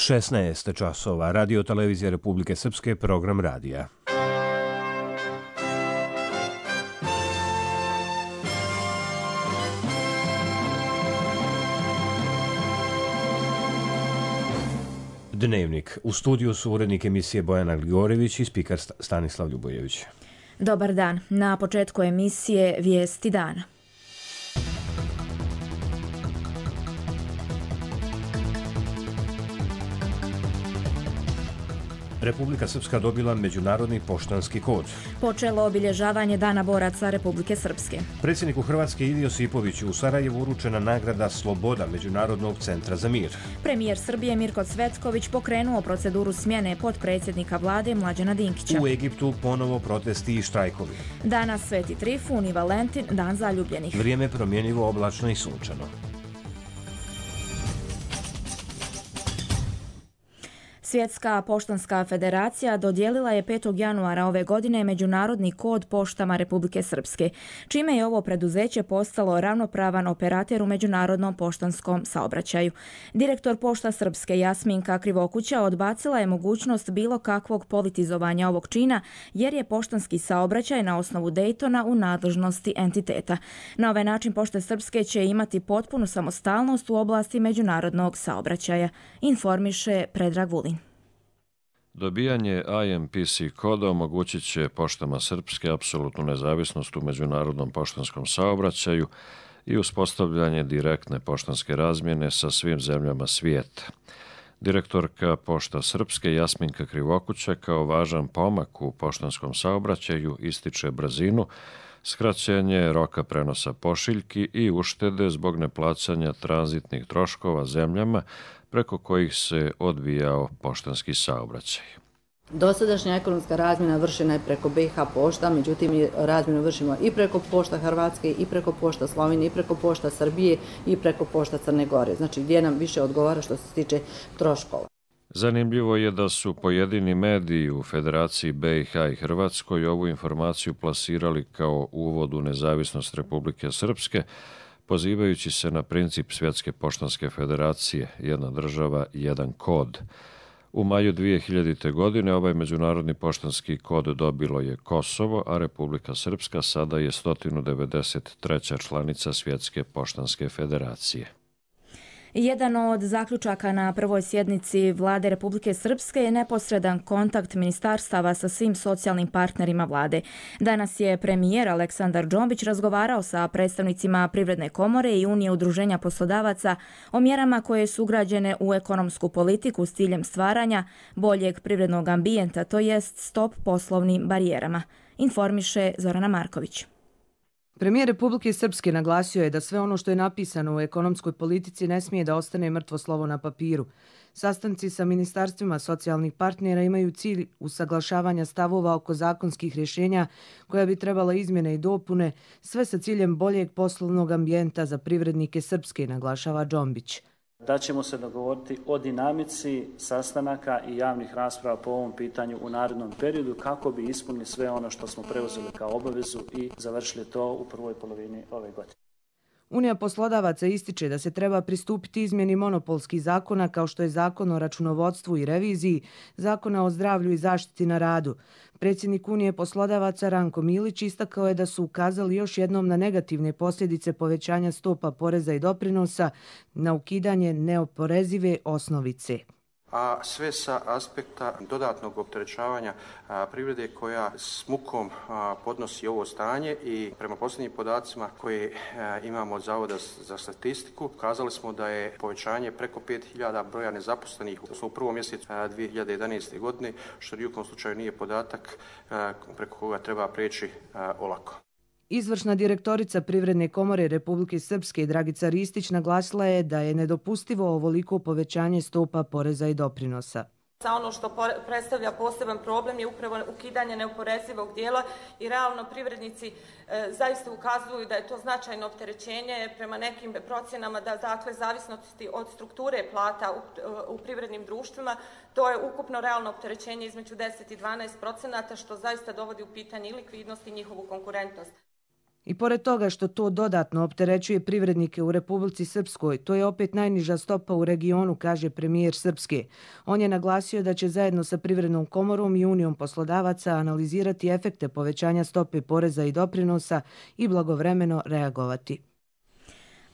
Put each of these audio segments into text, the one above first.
16 časova, Radio Televizija Republike Srpske, program radija. Dnevnik. U studiju su urednik emisije Bojana Gligorjević i spikar Stanislav Ljubojević. Dobar dan. Na početku emisije Vijesti dana. Republika Srpska dobila međunarodni poštanski kod. Počelo obilježavanje Dana boraca Republike Srpske. Predsjedniku Hrvatske Ivi Josipoviću u Sarajevu uručena nagrada Sloboda Međunarodnog centra za mir. Premijer Srbije Mirko Cvetković pokrenuo proceduru smjene potpredsjednika vlade Mlađana Dinkića. U Egiptu ponovo protesti i štrajkovi. Danas Sveti Trifun i Valentin, dan zaljubljenih. Vrijeme promjenjivo, oblačno i sunčano. Svjetska poštanska federacija dodijelila je 5. januara ove godine međunarodni kod poštama Republike Srpske, čime je ovo preduzeće postalo ravnopravan operater u međunarodnom poštanskom saobraćaju. Direktor Pošta Srpske Jasminka Krivokuća odbacila je mogućnost bilo kakvog politizovanja ovog čina, jer je poštanski saobraćaj na osnovu Dejtona u nadležnosti entiteta. Na ovaj način Pošte Srpske će imati potpunu samostalnost u oblasti međunarodnog saobraćaja, informiše Predrag Vulin. Dobijanje IMPC koda omogućit će poštama Srpske apsolutnu nezavisnost u međunarodnom poštanskom saobraćaju i uspostavljanje direktne poštanske razmjene sa svim zemljama svijeta. Direktorka Pošta Srpske Jasminka Krivokuća kao važan pomak u poštanskom saobraćaju ističe brzinu, skraćenje roka prenosa pošiljki i uštede zbog neplaćanja tranzitnih troškova zemljama preko kojih se odvijao poštanski saobraćaj. Dosadašnja ekonomska razmjena vršena je preko BiH pošta, međutim razmjenu vršimo i preko Pošta Hrvatske, i preko Pošta Slovenije, i preko Pošta Srbije, i preko Pošta Crne Gore. Znači gdje nam više odgovara što se tiče troškova. Zanimljivo je da su pojedini mediji u Federaciji BiH i Hrvatskoj ovu informaciju plasirali kao uvod u nezavisnost Republike Srpske, pozivajući se na princip Svjetske poštanske federacije, jedna država, jedan kod. U maju 2000. godine ovaj međunarodni poštanski kod dobilo je Kosovo, a Republika Srpska sada je 193. članica Svjetske poštanske federacije. Jedan od zaključaka na prvoj sjednici Vlade Republike Srpske je neposredan kontakt ministarstava sa svim socijalnim partnerima vlade. Danas je premijer Aleksandar Džombić razgovarao sa predstavnicima Privredne komore i Unije udruženja poslodavaca o mjerama koje su ugrađene u ekonomsku politiku s ciljem stvaranja boljeg privrednog ambijenta, to jest stop poslovnim barijerama, informiše Zorana Marković. Premijer Republike Srpske naglasio je da sve ono što je napisano u ekonomskoj politici ne smije da ostane mrtvo slovo na papiru. Sastanci sa ministarstvima socijalnih partnera imaju cilj usaglašavanja stavova oko zakonskih rješenja koja bi trebala izmjene i dopune, sve sa ciljem boljeg poslovnog ambijenta za privrednike Srpske, naglašava Džombić. Da ćemo se dogovoriti o dinamici sastanaka i javnih rasprava po ovom pitanju u narednom periodu kako bi ispunili sve ono što smo preuzeli kao obavezu i završili to u prvoj polovini ove godine. Unija poslodavaca ističe da se treba pristupiti izmjeni monopolskih zakona kao što je Zakon o računovodstvu i reviziji, Zakona o zdravlju i zaštiti na radu. Predsjednik Unije poslodavaca Ranko Milić istakao je da su ukazali još jednom na negativne posljedice povećanja stopa poreza i doprinosa na ukidanje neoporezive osnovice. A sve sa aspekta dodatnog opterećavanja privrede koja s mukom podnosi ovo stanje i prema posljednjim podacima koje imamo od Zavoda za statistiku, ukazali smo da je povećanje preko 5000 broja nezaposlenih u prvom mjesecu 2011. godine, što u nijekom slučaju nije podatak preko koga treba preći olako. Izvršna direktorica Privredne komore Republike Srpske Dragica Ristić naglasila je da je nedopustivo ovoliko povećanje stopa poreza i doprinosa. Ono što predstavlja poseban problem je upravo ukidanje neoporezivog dijela i realno privrednici zaista ukazuju da je to značajno opterećenje prema nekim procjenama da dakle zavisnosti od strukture plata u privrednim društvima to je ukupno realno opterećenje između 10 i 12%, što zaista dovodi u pitanje i likvidnost i njihovu konkurentnost. I pored toga što to dodatno opterećuje privrednike u Republici Srpskoj, to je opet najniža stopa u regionu, kaže premijer Srpske. On je naglasio da će zajedno sa Privrednom komorom i Unijom poslodavaca analizirati efekte povećanja stope poreza i doprinosa i blagovremeno reagovati.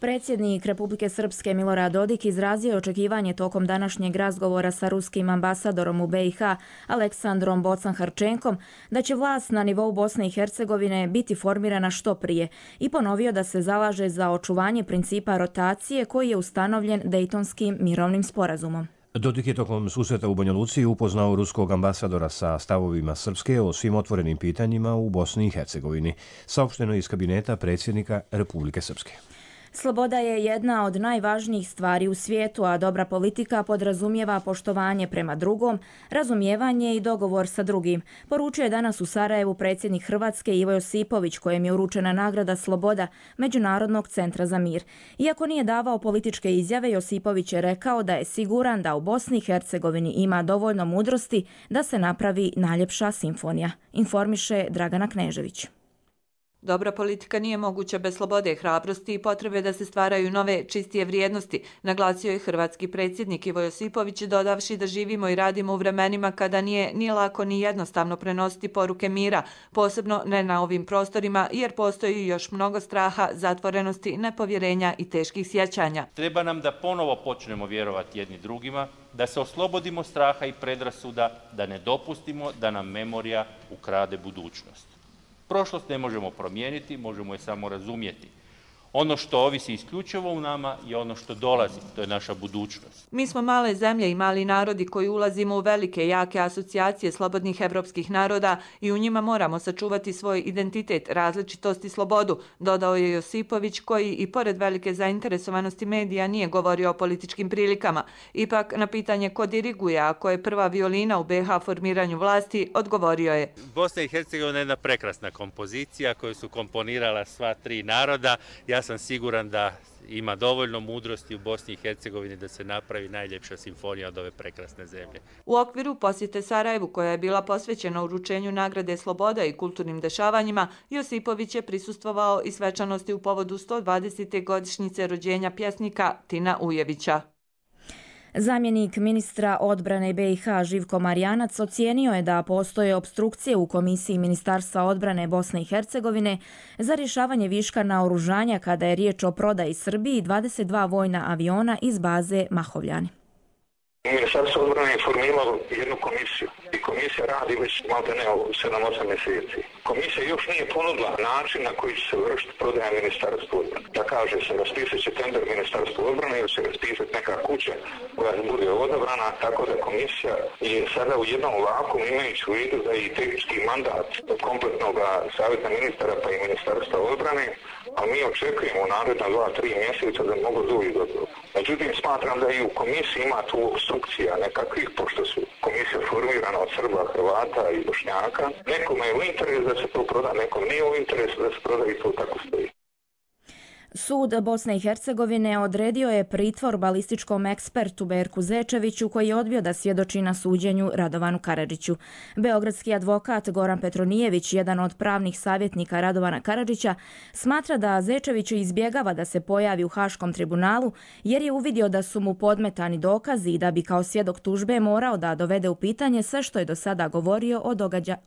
Predsjednik Republike Srpske Milorad Dodik izrazio je očekivanje tokom današnjeg razgovora sa ruskim ambasadorom u BiH Aleksandrom Bocan-Harčenkom da će vlast na nivou Bosne i Hercegovine biti formirana što prije i ponovio da se zalaže za očuvanje principa rotacije koji je ustanovljen Dejtonskim mirovnim sporazumom. Dodik je tokom susreta u Banja Luci upoznao ruskog ambasadora sa stavovima Srpske o svim otvorenim pitanjima u Bosni i Hercegovini, saopšteno iz kabineta predsjednika Republike Srpske. Sloboda je jedna od najvažnijih stvari u svijetu, a dobra politika podrazumijeva poštovanje prema drugom, razumijevanje i dogovor sa drugim, poručio je danas u Sarajevu predsjednik Hrvatske Ivo Josipović, kojem je uručena nagrada Sloboda Međunarodnog centra za mir. Iako nije davao političke izjave, Josipović je rekao da je siguran da u Bosni i Hercegovini ima dovoljno mudrosti da se napravi najljepša simfonija, informiše Dragana Knežević. Dobra politika nije moguća bez slobode, hrabrosti i potrebe da se stvaraju nove, čistije vrijednosti, naglasio je hrvatski predsjednik Ivo Josipović, dodavši da živimo i radimo u vremenima kada nije ni lako ni jednostavno prenositi poruke mira, posebno ne na ovim prostorima, jer postoji još mnogo straha, zatvorenosti, nepovjerenja i teških sjećanja. Treba nam da ponovo počnemo vjerovati jedni drugima, da se oslobodimo straha i predrasuda, da ne dopustimo da nam memorija ukrade budućnost. Prošlost ne možemo promijeniti, možemo je samo razumjeti. Ono što ovisi isključivo u nama je ono što dolazi, to je naša budućnost. Mi smo male zemlje i mali narodi koji ulazimo u velike, jake asocijacije slobodnih evropskih naroda i u njima moramo sačuvati svoj identitet, različitost i slobodu, dodao je Josipović, koji i pored velike zainteresovanosti medija nije govorio o političkim prilikama. Ipak na pitanje ko diriguje, a ko je prva violina u BiH formiranju vlasti, odgovorio je: Bosna i Hercegovina je jedna prekrasna kompozicija koju su komponirala sva tri naroda. Ja sam siguran da ima dovoljno mudrosti u Bosni i Hercegovini da se napravi najljepša simfonija od ove prekrasne zemlje. U okviru posjete Sarajevu, koja je bila posvećena uručenju nagrade Sloboda i kulturnim dešavanjima, Josipović je prisustvovao i svečanosti u povodu 120. godišnjice rođenja pjesnika Tina Ujevića. Zamjenik ministra odbrane BiH Živko Marjanac ocijenio je da postoje opstrukcije u Komisiji Ministarstva odbrane Bosne i Hercegovine za rješavanje viška naoružanja kada je riječ o prodaji Srbiji 22 vojna aviona iz baze Mahovljani. Ministarstvo odbrane je formiralo jednu komisiju i komisija radi već maltene 7-8 mjeseci. Komisija još nije ponudila način na koji će se vršiti prodaja Ministarstva odbrane. Da kaže se, raspisat će tender Ministarstva odbrane ili će raspisati neka kuća koja bude odabrana, tako da komisija je sada u jednom vakuumu, imajući u vidu da je i tehnički mandat kompletnog savjeta ministara pa i Ministarstva odbrane, a mi očekujemo u naredna 2-3 mjeseca da mogu doći do toga. Međutim, smatram da i u komisiji ima tu obstrukcija nekakvih, pošto su komisija formirana od Srba, Hrvata i Bošnjaka. Nekome je u interesu da se to proda, nekom nije u interesu da se proda i to tako stoji. Sud Bosne i Hercegovine odredio je pritvor balističkom ekspertu Berku Zečeviću, koji je odbio da svjedoči na suđenju Radovanu Karadžiću. Beogradski advokat Goran Petronijević, jedan od pravnih savjetnika Radovana Karadžića, smatra da Zečević izbjegava da se pojavi u Haškom tribunalu jer je uvidio da su mu podmetani dokazi i da bi kao svjedok tužbe morao da dovede u pitanje sve što je do sada govorio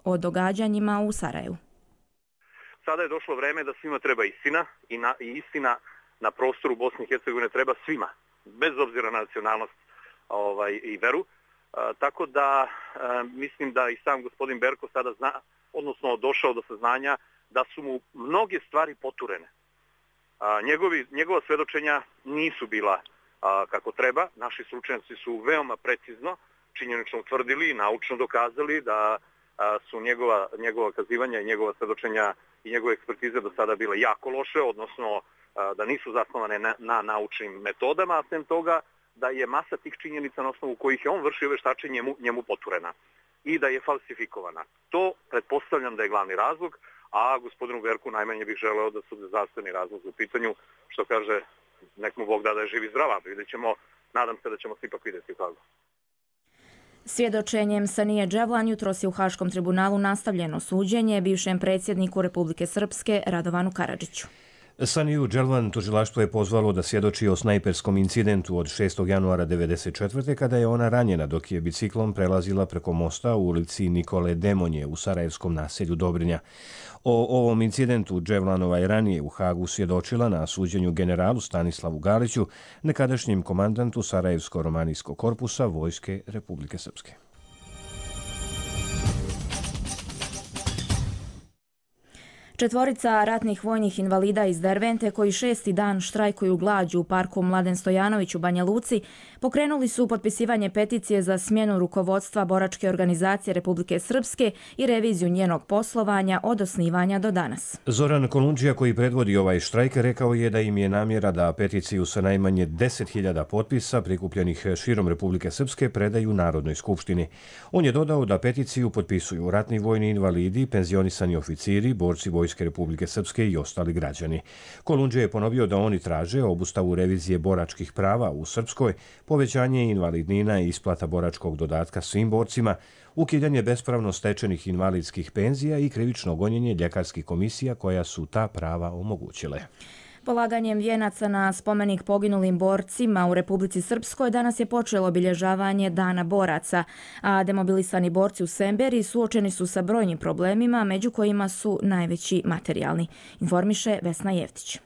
o događanjima u Sarajevu. Sada je došlo vreme da svima treba istina i istina na prostoru Bosne i Hercegovine treba svima, bez obzira na nacionalnost i veru. Tako da mislim da i sam gospodin Berko sada zna, odnosno došao do saznanja da su mu mnoge stvari poturene. Njegova svjedočenja nisu bila kako treba. Naši stručnjaci su veoma precizno, činjenično utvrdili i naučno dokazali da su njegova kazivanja i njegova svjedočenja i njegove ekspertize do sada bile jako loše, odnosno da nisu zasnovane na naučnim metodama, a sem toga da je masa tih činjenica na osnovu kojih je on vršio veštačenje njemu poturena i da je falsifikovana. To pretpostavljam da je glavni razlog, a gospodinu Berku najmanje bih želeo da su zdravstveni razlog u pitanju, što kaže, nek mu Bog da je živ i zdrav, vidjet ćemo, nadam se da ćemo se ipak vidjeti kako. Svjedočenjem Sanije Dževlan jutros je u Haškom tribunalu nastavljeno suđenje bivšem predsjedniku Republike Srpske Radovanu Karadžiću. Saniju Dželvan tužilaštvo je pozvalo da svjedoči o snajperskom incidentu od 6. januara 1994. kada je ona ranjena dok je biciklom prelazila preko mosta u ulici Nikole Demonje u sarajevskom naselju Dobrinja. O ovom incidentu Dževlanova je ranije u Hagu svjedočila na suđenju generalu Stanislavu Galiću, nekadašnjem komandantu Sarajevsko-romanijskog korpusa Vojske Republike Srpske. Četvorica ratnih vojnih invalida iz Dervente koji 6. dan štrajkuju glađu u parku Mladen Stojanović u Banja Luci pokrenuli su potpisivanje peticije za smjenu rukovodstva boračke organizacije Republike Srpske i reviziju njenog poslovanja od osnivanja do danas. Zoran Kolundžija koji predvodi ovaj štrajk rekao je da im je namjera da peticiju sa najmanje 10.000 potpisa prikupljenih širom Republike Srpske predaju Narodnoj skupštini. On je dodao da peticiju potpisuju ratni vojni invalidi, penzionisani oficiri, borci Vojske Republike Srpske i ostali građani. Kolundžija je ponovio da oni traže obustavu revizije boračkih prava u Srpskoj, povećanje invalidnina i isplata boračkog dodatka svim borcima, ukidanje bespravno stečenih invalidskih penzija i krivično gonjenje ljekarskih komisija koja su ta prava omogućile. Polaganjem vijenaca na spomenik poginulim borcima u Republici Srpskoj danas je počelo obilježavanje Dana boraca, a demobilisani borci u Semberi suočeni su sa brojnim problemima, među kojima su najveći materijalni, informiše Vesna Jevtić.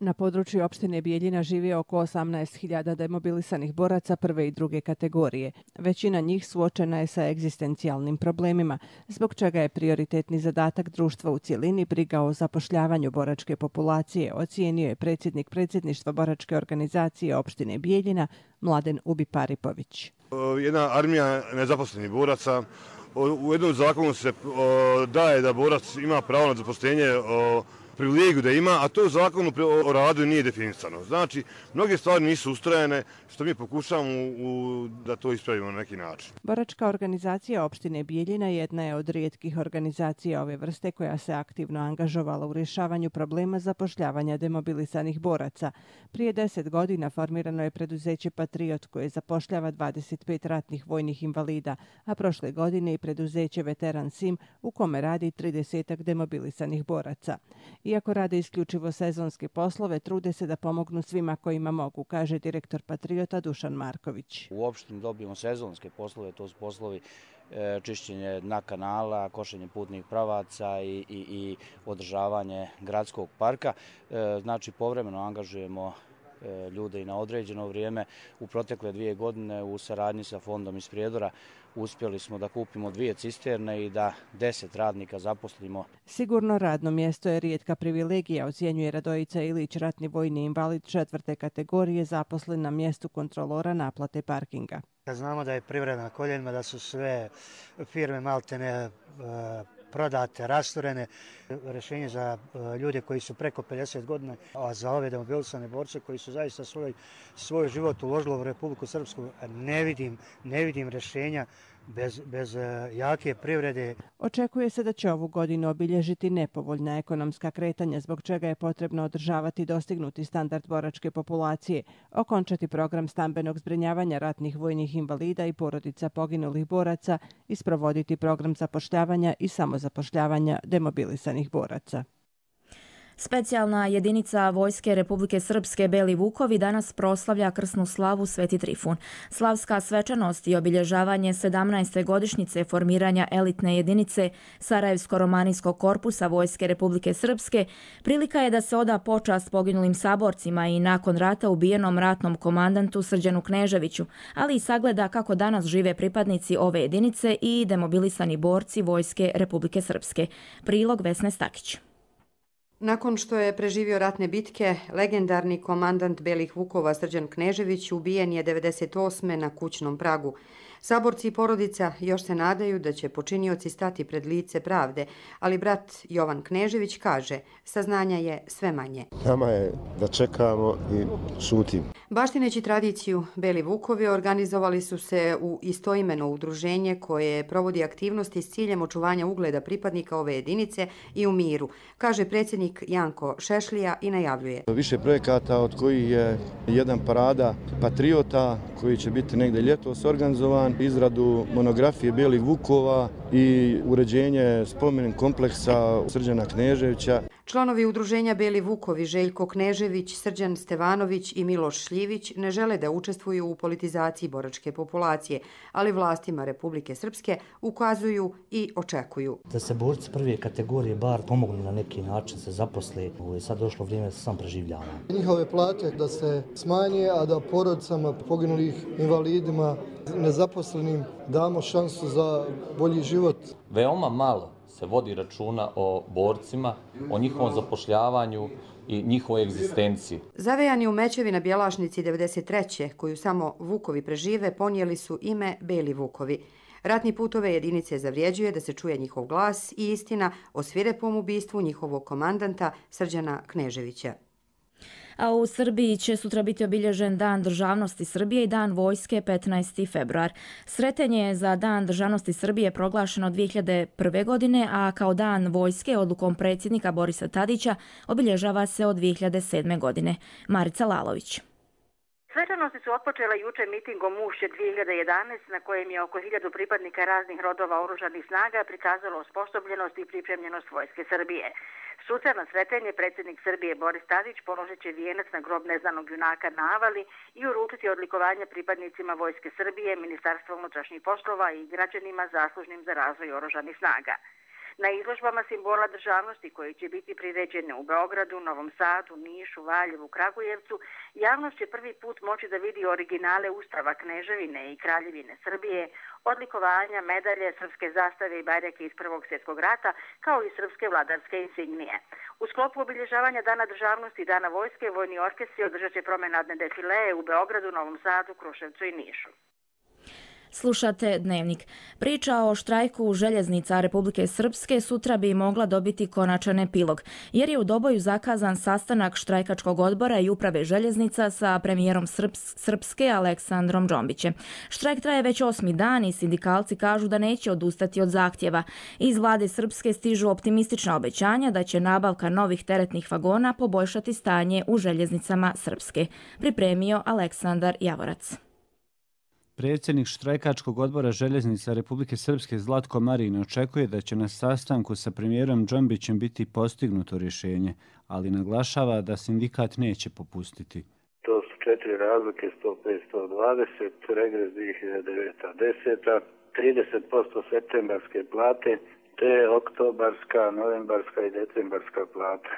Na području opštine Bijeljina živi oko 18.000 demobilisanih boraca prve i druge kategorije. Većina njih suočena je sa egzistencijalnim problemima, zbog čega je prioritetni zadatak društva u cjelini briga o zapošljavanju boračke populacije, ocijenio je predsjednik predsjedništva boračke organizacije opštine Bijeljina, Mladen Ubiparipović. Jedna armija nezaposlenih boraca, u jednom zakonu se daje da borac ima pravo na zaposlenje privilegiju da ima, a to u zakonu o radu nije definisano. Znači, mnoge stvari nisu ustrajene, što mi pokušavamo da to ispravimo na neki način. Boračka organizacija opštine Bijeljina jedna je od rijetkih organizacija ove vrste koja se aktivno angažovala u rješavanju problema zapošljavanja demobilisanih boraca. Prije 10 godina formirano je preduzeće Patriot koje zapošljava 25 ratnih vojnih invalida, a prošle godine i preduzeće Veteran Sim u kome radi 30 demobilisanih boraca. Iako rade isključivo sezonske poslove, trude se da pomognu svima kojima mogu, kaže direktor Patriota Dušan Marković. U opštini dobijemo sezonske poslove, to su poslovi čišćenje dna kanala, košenje putnih pravaca i održavanje gradskog parka. Znači, povremeno angažujemo ljude i na određeno vrijeme. U protekle 2 godine u saradnji sa fondom iz Prijedora uspjeli smo da kupimo 2 cisterne i da 10 radnika zaposlimo. Sigurno radno mjesto je rijetka privilegija, ocjenjuje Radojica Ilić, ratni vojni invalid 4. kategorije, zaposlen na mjestu kontrolora naplate parkinga. Znamo da je privreda na koljenima, da su sve firme maltene prodate, rasturene. Rješenje za ljude koji su preko 50 godina, a za ove demobilisane borce koji su zaista svoj život uložili u Republiku Srpsku, ne vidim rješenja bez jake privrede. Očekuje se da će ovu godinu obilježiti nepovoljna ekonomska kretanja, zbog čega je potrebno održavati dostignuti standard boračke populacije, okončati program stambenog zbrinjavanja ratnih vojnih invalida i porodica poginulih boraca i sprovoditi program zapošljavanja i samozapošljavanja demobilisanih boraca. Specijalna jedinica Vojske Republike Srpske Beli Vukovi danas proslavlja krsnu slavu Sveti Trifun. Slavska svečanost i obilježavanje 17. godišnjice formiranja elitne jedinice Sarajevsko-romanijskog korpusa Vojske Republike Srpske prilika je da se oda počast poginulim saborcima i nakon rata ubijenom ratnom komandantu Srđanu Kneževiću, ali i sagleda kako danas žive pripadnici ove jedinice i demobilisani borci Vojske Republike Srpske. Prilog Vesne Stakić. Nakon što je preživio ratne bitke, legendarni komandant Belih Vukova Srđan Knežević ubijen je 98. na kućnom pragu. Saborci i porodica još se nadaju da će počinioci stati pred lice pravde, ali brat Jovan Knežević kaže, saznanja je sve manje. Nama je da čekamo i šutimo. Baštineći tradiciju, Beli Vukovi organizovali su se u istoimeno udruženje koje provodi aktivnosti s ciljem očuvanja ugleda pripadnika ove jedinice i u miru, kaže predsjednik Janko Šešlija i najavljuje. Više projekata od kojih je jedan parada patriota koji će biti negdje ljetos organizovan, izradu monografije Belih Vukova i uređenje spomenik kompleksa Srđana Kneževića. Članovi udruženja Beli Vukovi Željko Knežević, Srđan Stevanović i Miloš Šljivić ne žele da učestvuju u politizaciji boračke populacije, ali vlastima Republike Srpske ukazuju i očekuju. Da se borci prve kategorije bar pomognu na neki način, se zaposle, je sad došlo vrijeme da se sam preživljava. Njihove plate da se smanje, a da porodicama poginulih, invalidima, nezaposlenim damo šansu za bolji život. Veoma malo se vodi računa o borcima, o njihovom zapošljavanju i njihovoj egzistenciji. Zavejani u mećevi na Bjelašnici 93. koju samo Vukovi prežive, ponijeli su ime Beli Vukovi. Ratni put ove jedinice zavrijeđuje da se čuje njihov glas i istina o svirepom ubistvu njihovog komandanta Srđana Kneževića. A u Srbiji će sutra biti obilježen Dan državnosti Srbije i Dan vojske 15. februar. Sretenje je za Dan državnosti Srbije proglašeno 2001. godine, a kao Dan vojske odlukom predsjednika Borisa Tadića obilježava se od 2007. godine. Marica Lalović. Svečanosti su otpočele juče mitingom Ušće 2011 na kojem je oko 1000 pripadnika raznih rodova oružanih snaga prikazalo osposobljenost i pripremljenost vojske Srbije. Sutra na Sretenje predsjednik Srbije Boris Tadić položit će vijenac na grob neznanog junaka na Avali i uručiti odlikovanje pripadnicima vojske Srbije, Ministarstva unutrašnjih poslova i građanima zaslužnim za razvoj oružanih snaga. Na izložbama simbola državnosti koji će biti priređene u Beogradu, Novom Sadu, Nišu, Valjevu, Kragujevcu, javnost će prvi put moći da vidi originale Ustava Kneževine i Kraljevine Srbije, odlikovanja, medalje, srpske zastave i bajrake iz Prvog svjetskog rata, kao i srpske vladarske insignije. U sklopu obilježavanja Dana državnosti i Dana vojske, vojni orkestri održat će promenadne defileje u Beogradu, Novom Sadu, Kruševcu i Nišu. Slušate Dnevnik. Priča o štrajku željeznica Republike Srpske sutra bi mogla dobiti konačan epilog, jer je u Doboju zakazan sastanak štrajkačkog odbora i uprave željeznica sa premijerom Srpske Aleksandrom Džombićem. Štrajk traje već 8. dan i sindikalci kažu da neće odustati od zahtjeva. Iz vlade Srpske stižu optimistična obećanja da će nabavka novih teretnih vagona poboljšati stanje u željeznicama Srpske. Pripremio Aleksandar Javorac. Predsjednik štrajkačkog odbora željeznica Republike Srpske Zlatko Marin očekuje da će na sastanku sa premijerom Džombićem biti postignuto rješenje, ali naglašava da sindikat neće popustiti. To su 4 razlike, 105-120, regres 2009-10, 30% septembarske plate, te oktobarska, novembarska i decembarska plata.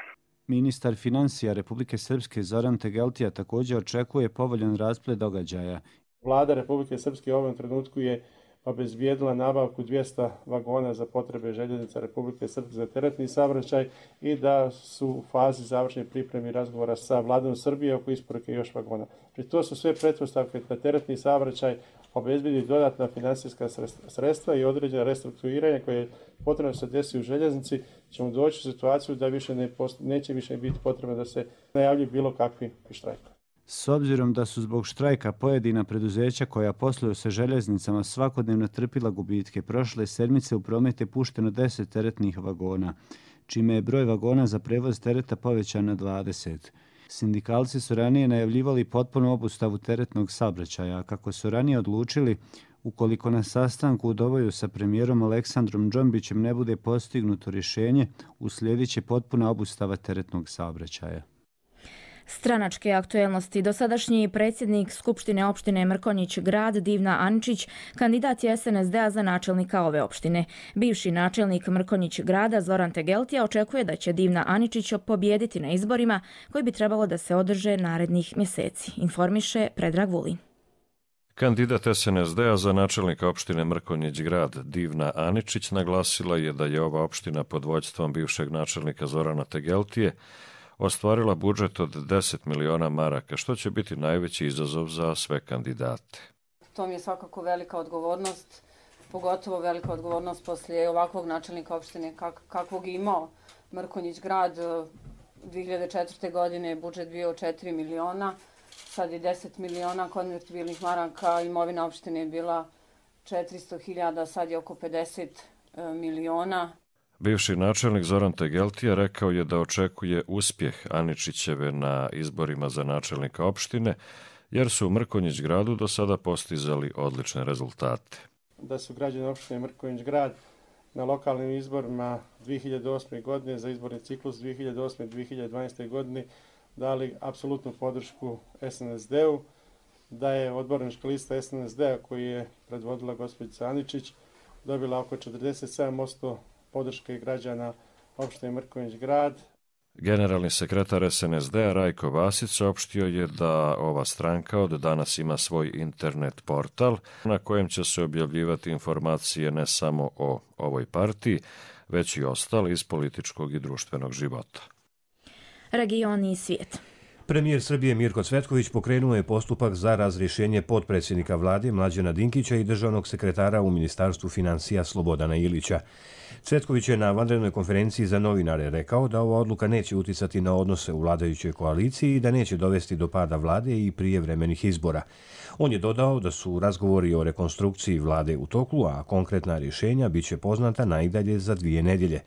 Ministar financija Republike Srpske Zoran Tegeltija također očekuje povoljan rasplet događaja. Vlada Republike Srpske u ovom trenutku je obezbijedila nabavku 200 vagona za potrebe željeznica Republike Srpske za teretni saobraćaj i da su u fazi završne pripreme razgovora sa Vladom Srbije oko isporuke još vagona. To su sve pretpostavke da teretni saobraćaj obezbijedi dodatna financijska sredstva i određena restrukturiranja koje je potrebno da se desi u željeznici, ćemo doći u situaciju da neće više biti potrebno da se najavljuju bilo kakvi štrajkovi. S obzirom da su zbog štrajka pojedina preduzeća koja posluju sa željeznicama svakodnevno trpila gubitke, prošle sedmice u promet je pušteno 10 teretnih vagona, čime je broj vagona za prevoz tereta povećan na 20. Sindikalci su ranije najavljivali potpunu obustavu teretnog saobraćaja, kako su ranije odlučili, ukoliko na sastanku u Doboju sa premijerom Aleksandrom Džombićem ne bude postignuto rješenje, uslijedit će potpuna obustava teretnog saobraćaja. Stranačke aktuelnosti. Dosadašnji predsjednik Skupštine opštine Mrkonjić Grad Divna Aničić kandidat je SNSD-a za načelnika ove opštine. Bivši načelnik Mrkonjić Grada Zoran Tegeltija očekuje da će Divna Aničić pobijediti na izborima koji bi trebalo da se održe narednih mjeseci, informiše Predrag Vulin. Kandidat SNSD-a za načelnika opštine Mrkonjić Grad Divna Aničić naglasila je da je ova opština pod vođstvom bivšeg načelnika Zorana Tegeltije ostvarila budžet od 10 miliona maraka, što će biti najveći izazov za sve kandidate. To mi je svakako velika odgovornost, pogotovo velika odgovornost poslije ovakvog načelnika opštine kakvog je imao Mrkonjić Grad. 2004. godine je budžet bio 4 miliona. sad je 10 miliona konvertibilnih maraka, imovina opštine je bila 400.000, sad je oko 50 miliona. Bivši načelnik Zoran Tegeltija rekao je da očekuje uspjeh Aničićeve na izborima za načelnika opštine, jer su u Mrkonjić gradu do sada postizali odlične rezultate. Da su građani opštine Mrkonjić grad na lokalnim izborima 2008. godine za izborni ciklus 2008. i 2012. godine dali apsolutnu podršku SNSD-u, da je odbornička lista SNSD-a koju je predvodila gospođica Aničić dobila oko 47% podrške građana opštine Mrkonjić grad. Generalni sekretar SNSD-a Rajko Vasić saopštio je da ova stranka od danas ima svoj internet portal na kojem će se objavljivati informacije ne samo o ovoj partiji, već i ostali iz političkog i društvenog života. Region i svijet. Premijer Srbije Mirko Cvetković pokrenuo je postupak za razrješenje potpredsjednika vlade Mlađana Dinkića i državnog sekretara u Ministarstvu financija Slobodana Ilića. Cvetković je na vanrednoj konferenciji za novinare rekao da ova odluka neće uticati na odnose u vladajućoj koaliciji i da neće dovesti do pada vlade i prijevremenih izbora. On je dodao da su razgovori o rekonstrukciji vlade u toku, a konkretna rješenja biće poznata najdalje za 2 nedjelje.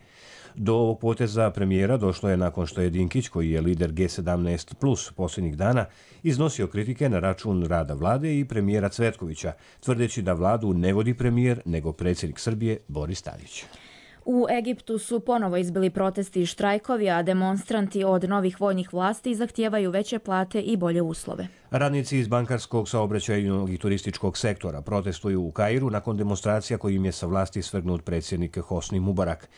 Do ovog poteza premijera došlo je nakon što je Dinkić, koji je lider G17+, posljednjih dana iznosio kritike na račun rada vlade i premijera Cvetkovića, tvrdeći da vladu ne vodi premijer, nego predsjednik Srbije Boris Tadić. U Egiptu su ponovo izbili protesti i štrajkovi, a demonstranti od novih vojnih vlasti zahtijevaju veće plate i bolje uslove. Radnici iz bankarskog, saobraćajnog i turističkog sektora protestuju u Kairu nakon demonstracija kojim je sa vlasti svrgnut predsjednik Hosni Mubarak.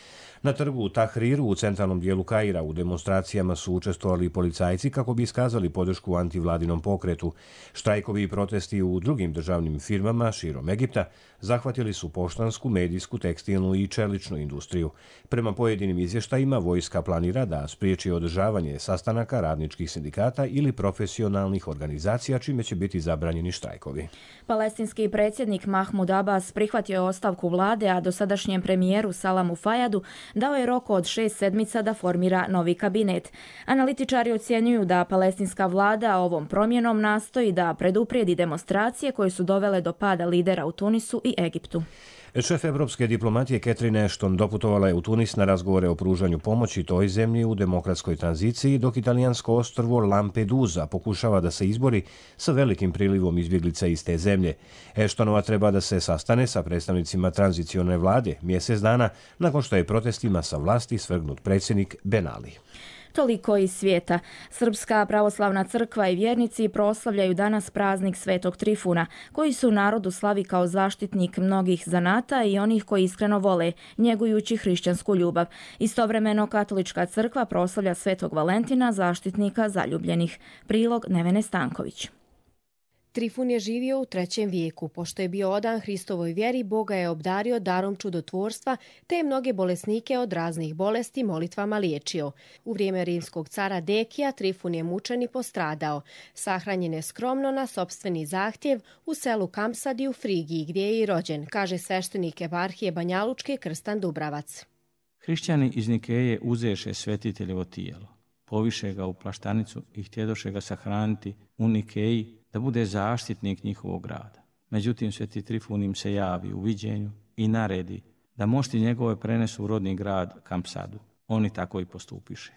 Na trgu Tahriru u centralnom dijelu Kaira u demonstracijama su učestvovali policajci kako bi iskazali podršku antivladinom pokretu. Štrajkovi i protesti u drugim državnim firmama širom Egipta zahvatili su poštansku, medijsku, tekstilnu i čeličnu industriju. Prema pojedinim izvještajima, vojska planira da spriječi održavanje sastanaka radničkih sindikata ili profesionalnih organizacija, čime će biti zabranjeni štrajkovi. Palestinski predsjednik Mahmud Abbas prihvatio je ostavku vlade, a dosadašnjem premijeru Salamu Fajadu dao je rok od 6 sedmica da formira novi kabinet. Analitičari ocjenjuju da palestinska vlada ovom promjenom nastoji da preduprijedi demonstracije koje su dovele do pada lidera u Tunisu i Egiptu. Šef evropske diplomatije Catherine Ashton doputovala je u Tunis na razgovore o pružanju pomoći toj zemlji u demokratskoj tranziciji, dok italijansko ostrvo Lampedusa pokušava da se izbori sa velikim prilivom izbjeglica iz te zemlje. Ashtonova treba da se sastane sa predstavnicima tranzicione vlade mjesec dana nakon što je protestima sa vlasti svrgnut predsjednik Ben Ali. Toliko iz svijeta. Srpska pravoslavna crkva i vjernici proslavljaju danas praznik Svetog Trifuna, koji su narodu slavi kao zaštitnik mnogih zanata i onih koji iskreno vole, njegujući hrišćansku ljubav. Istovremeno katolička crkva proslavlja Svetog Valentina, zaštitnika zaljubljenih. Prilog Nevene Stanković. Trifun je živio u 3. vijeku. Pošto je bio odan Hristovoj vjeri, Boga je obdario darom čudotvorstva, te je mnoge bolesnike od raznih bolesti molitvama liječio. U vrijeme rimskog cara Dekija Trifun je mučen i postradao. Sahranjen je skromno na sopstveni zahtjev u selu Kampsadi u Frigiji, gdje je i rođen, kaže sveštenik eparhije Banjalučke Krstan Dubravac. Hrišćani iz Nikeje uzeše svetiteljevo tijelo, poviše ga u plaštanicu i htjedoše ga sahraniti u Nikeji, da bude zaštitnik njihovog grada. Međutim, Sveti Trifun im se javi u viđenju i naredi da mošti njegove prenesu u rodni grad Kampsadu. Oni tako i postupiše.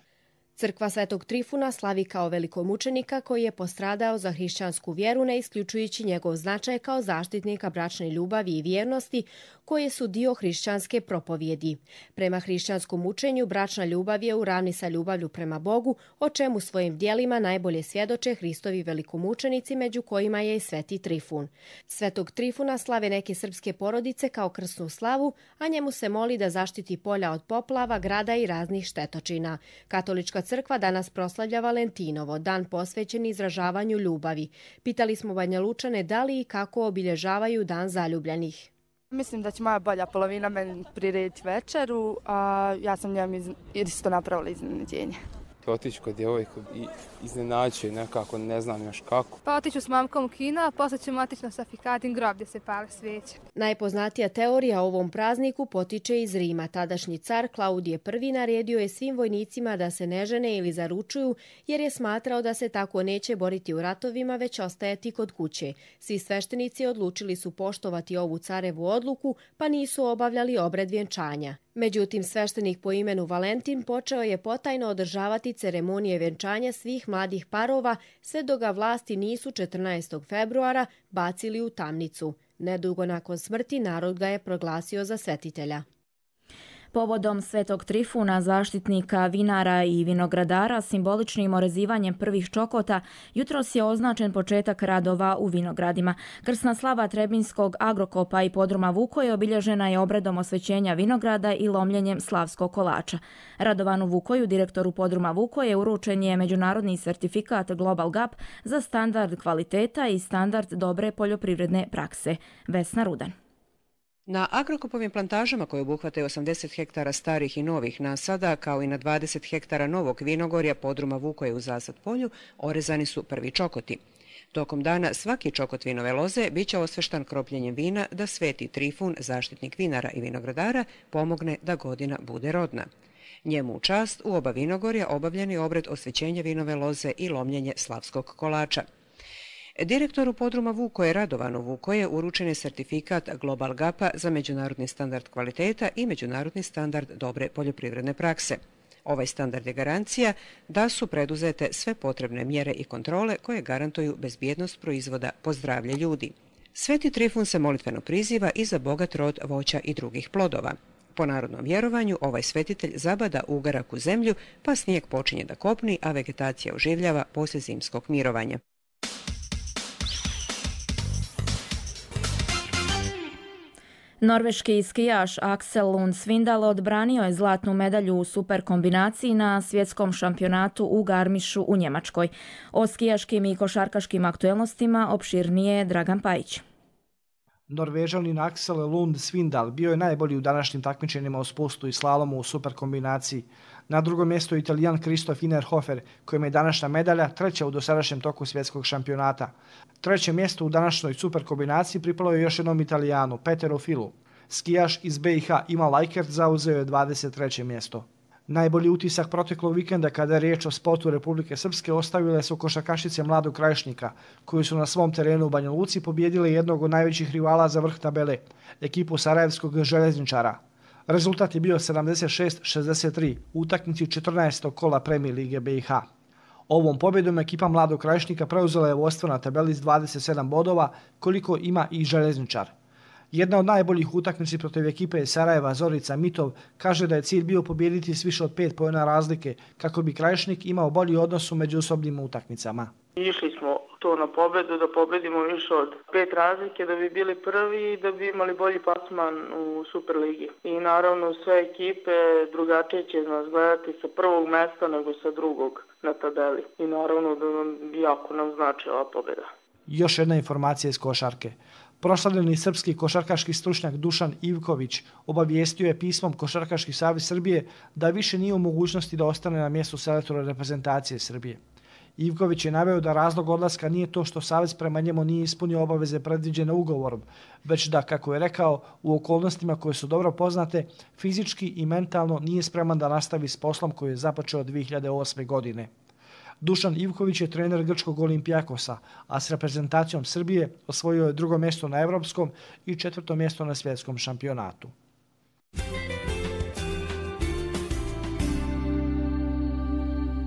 Crkva Svetog Trifuna slavi kao velikomučenika koji je postradao za hrišćansku vjeru, ne isključujući njegov značaj kao zaštitnika bračne ljubavi i vjernosti, koje su dio hrišćanske propovjedi. Prema hrišćanskom učenju, bračna ljubav je u ravni sa ljubavlju prema Bogu, o čemu svojim djelima najbolje svjedoče Hristovi velikomučenici, među kojima je i Sveti Trifun. Svetog Trifuna slave neke srpske porodice kao krsnu slavu, a njemu se moli da zaštiti polja od poplava, grada i raznih štetočina. Katolička crkva danas proslavlja Valentinovo, dan posvećen izražavanju ljubavi. Pitali smo Banjalučane da li i kako obilježavaju dan zaljubljenih. Mislim da će moja bolja polovina meni prirediti večeru, a ja sam njemu isto napravila iznenađenje. Otići kod djevojku i iznenađuje nekako, ne znam još kako. Pa otiću s mamkom u kino, a posle ćemo otići na Safikadin grob gdje se pale svijeće. Najpoznatija teorija o ovom prazniku potiče iz Rima. Tadašnji car Klaudije I naredio je svim vojnicima da se ne žene ili zaručuju, jer je smatrao da se tako neće boriti u ratovima, već ostajati kod kuće. Svi sveštenici odlučili su poštovati ovu carevu odluku, pa nisu obavljali obred vjenčanja. Međutim, sveštenik po imenu Valentin počeo je potajno održavati ceremonije vjenčanja svih mladih parova, sve dok ga vlasti nisu 14. februara bacili u tamnicu. Nedugo nakon smrti narod ga je proglasio za svetitelja. Povodom Svetog Trifuna, zaštitnika vinara i vinogradara, simboličnim orezivanjem prvih čokota, jutros je označen početak radova u vinogradima. Krsna slava Trebinskog agrokopa i podruma Vukoje obilježena je obredom osvećenja vinograda i lomljenjem slavskog kolača. Radovanu Vukoju, direktoru podruma Vukoje, uručen je međunarodni sertifikat Global Gap za standard kvaliteta i standard dobre poljoprivredne prakse. Vesna Rudan. Na agrokopovim plantažama koje obuhvataju 80 hektara starih i novih nasada, kao i na 20 hektara novog vinogorja podruma Vukoje u Zasad polju, orezani su prvi čokoti. Tokom dana svaki čokot vinove loze biće osveštan kropljenjem vina da Sveti Trifun, zaštitnik vinara i vinogradara, pomogne da godina bude rodna. Njemu u čast u oba vinogorja obavljen je obred osvećenja vinove loze i lomljenje slavskog kolača. Direktoru podruma Vukoje Radovanu Vukoje uručen je sertifikat Global Gapa za međunarodni standard kvaliteta i međunarodni standard dobre poljoprivredne prakse. Ovaj standard je garancija da su preduzete sve potrebne mjere i kontrole koje garantuju bezbjednost proizvoda po zdravlje ljudi. Sveti Trifun se molitveno priziva i za bogat rod voća i drugih plodova. Po narodnom vjerovanju, ovaj svetitelj zabada ugarak u zemlju, pa snijeg počinje da kopni, a vegetacija oživljava poslije zimskog mirovanja. Norveški skijaš Aksel Lund Svindal odbranio je zlatnu medalju u super kombinaciji na svjetskom šampionatu u Garmišu u Njemačkoj. O skijaškim i košarkaškim aktuelnostima opširnije Dragan Pajić. Norvežanin Aksel Lund Svindal bio je najbolji u današnjim takmičenjima u spustu i slalomu u super kombinaciji. Na drugom mjestu je Italijan Kristof Innerhofer, kojem je današnja medalja treća u dosadašnjem toku svjetskog šampionata. Treće mjesto u današnjoj super kombinaciji pripalo je još jednom Italijanu, Peteru Filu. Skijaš iz BiH Ima Lajkert zauzeo je 23. mjesto. Najbolji utisak proteklog vikenda kada je riječ o sportu Republike Srpske ostavile su košarkašice Mladog Krajišnika, koji su na svom terenu u Banja Luci pobijedili jednog od najvećih rivala za vrh tabele, ekipu Sarajevskog željezničara. Rezultat je bio 76-63 u utakmici 14. kola Premijer lige BiH. Ovom pobjedom ekipa Mladog Krajišnika preuzela je vodstvo na tabeli s 27 bodova, koliko ima i željezničar. Jedna od najboljih utakmici protiv ekipe Sarajeva Zorica Mitov kaže da je cilj bio pobijediti s više od 5 poena razlike kako bi Krajišnik imao bolji odnos u međusobnim utakmicama. Išli smo to na pobedu, da pobedimo više od 5 razlike, da bi bili prvi i da bi imali bolji plasman u Superligi. I naravno sve ekipe drugačije će nas gledati sa prvog mjesta nego sa drugog na tabeli. I naravno da jako nam znači ova pobeda. Još jedna informacija iz košarke. Proslavljeni srpski košarkaški stručnjak Dušan Ivković obavijestio je pismom Košarkaški savez Srbije da više nije u mogućnosti da ostane na mjestu selektora reprezentacije Srbije. Ivković je naveo da razlog odlaska nije to što savez prema njemu nije ispunio obaveze predviđene ugovorom, već da, kako je rekao, u okolnostima koje su dobro poznate, fizički i mentalno nije spreman da nastavi s poslom koji je započeo 2008. godine. Dušan Ivković je trener grčkog Olimpijakosa, a s reprezentacijom Srbije osvojio je 2. mjesto na evropskom i 4. mjesto na svjetskom šampionatu.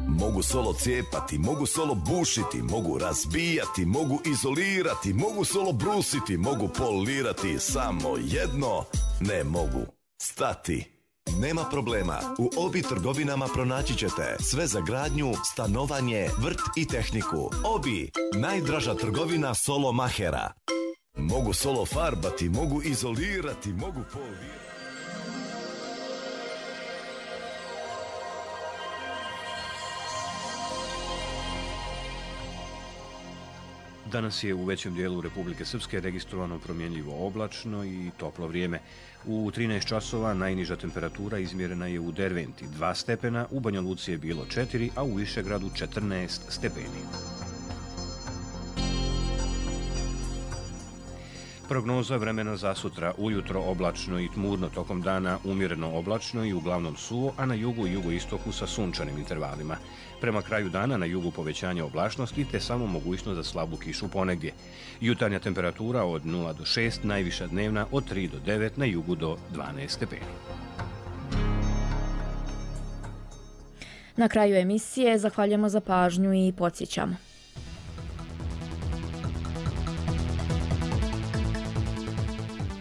Mogu solo cijepati, mogu solo bušiti, mogu razbijati, mogu izolirati, mogu solo brusiti, mogu polirati, samo jedno ne mogu stati. Nema problema, u Obi trgovinama pronaći ćete sve za gradnju, stanovanje, vrt i tehniku. Obi, najdraža trgovina solo mahera. Mogu solo farbati, mogu izolirati, mogu polirati. Danas je u većem dijelu Republike Srpske registrovano promjenljivo oblačno i toplo vrijeme. U 13 časova najniža temperatura izmjerena je u Derventi 2 stepena, u Banja Luci je bilo 4, a u Višegradu 14 stepeni. Prognoza vremena za sutra: ujutro oblačno i tmurno, tokom dana umjereno oblačno i uglavnom suvo, a na jugu i jugoistoku sa sunčanim intervalima. Prema kraju dana na jugu povećanje oblačnosti te samo mogućnost za slabu kišu ponegdje. Jutarnja temperatura od 0 do 6, najviša dnevna od 3 do 9, na jugu do 12 stepeni. Na kraju emisije zahvaljujemo za pažnju i podsjećamo.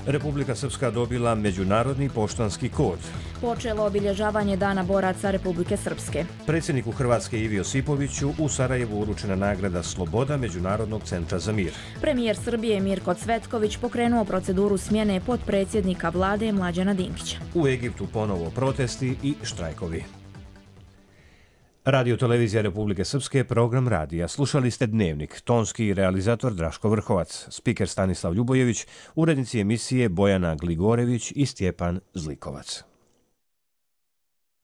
Republika Srpska dobila međunarodni poštanski kod. Počelo obilježavanje Dana boraca Republike Srpske. Predsjedniku Hrvatske Ivi Josipoviću u Sarajevu uručena nagrada Sloboda Međunarodnog centra za mir. Premijer Srbije Mirko Cvetković pokrenuo proceduru smjene potpredsjednika vlade Mlađana Dinkića. U Egiptu ponovo protesti i štrajkovi. Radio Televizija Republike Srpske, program radija. Slušali ste Dnevnik, tonski realizator Draško Vrhovac, spiker Stanislav Ljubojević, urednici emisije Bojana Gligorević i Stjepan Zlikovac.